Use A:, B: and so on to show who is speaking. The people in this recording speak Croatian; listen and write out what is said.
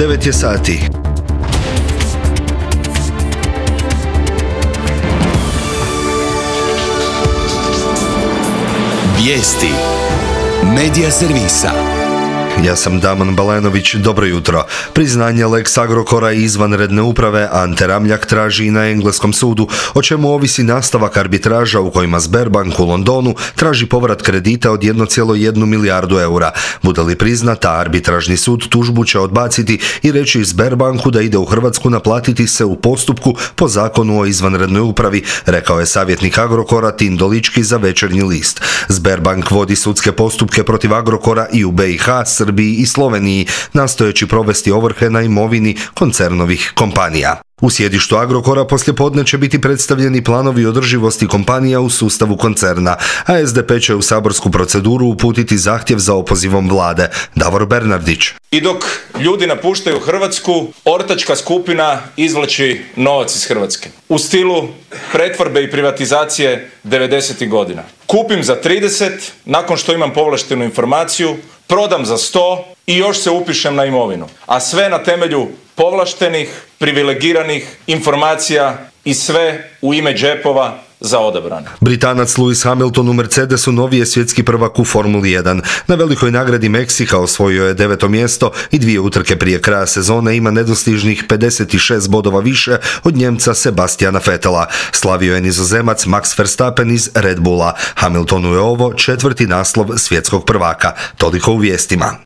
A: 9 je sati.
B: Vijesti Medija servisa.
A: Ja sam Damon Balenović, dobro jutro. Priznanje Lex Agrokora i izvanredne uprave Ante Ramljak traži i na engleskom sudu, o čemu ovisi nastavak arbitraža u kojima Sberbank u Londonu traži povrat kredita od 1,1 milijardu eura. Bude li priznata, arbitražni sud tužbu će odbaciti i reći Sberbanku da ide u Hrvatsku naplatiti se u postupku po zakonu o izvanrednoj upravi, rekao je savjetnik Agrokora Tin Dolički za Večernji list. Sberbank vodi sudske postupke protiv Agrokora i u BiH, Srbiji i Sloveniji, nastojeći provesti ovrhe na imovini koncernovih kompanija. U sjedištu Agrokora poslijepodne će biti predstavljeni planovi održivosti kompanija u sustavu koncerna, a SDP će u saborsku proceduru uputiti zahtjev za opozivom vlade. Davor Bernardić.
C: I dok ljudi napuštaju Hrvatsku, ortačka skupina izvlači novac iz Hrvatske. U stilu pretvorbe i privatizacije 90. godina. Kupim za 30, nakon što imam povlaštenu informaciju, prodam za 100 i još se upišem na imovinu. A sve na temelju povlaštenih, privilegiranih informacija i sve u ime džepova za odabrane.
A: Britanac Lewis Hamilton u Mercedesu novi je svjetski prvak u Formuli 1. Na velikoj nagradi Meksika osvojio je 9. mjesto i 2 utrke prije kraja sezone ima nedostižnih 56 bodova više od Njemca Sebastiana Vettela. Slavio je Nizozemac Max Verstappen iz Red Bulla. Hamiltonu je ovo 4. naslov svjetskog prvaka. Toliko u vijestima.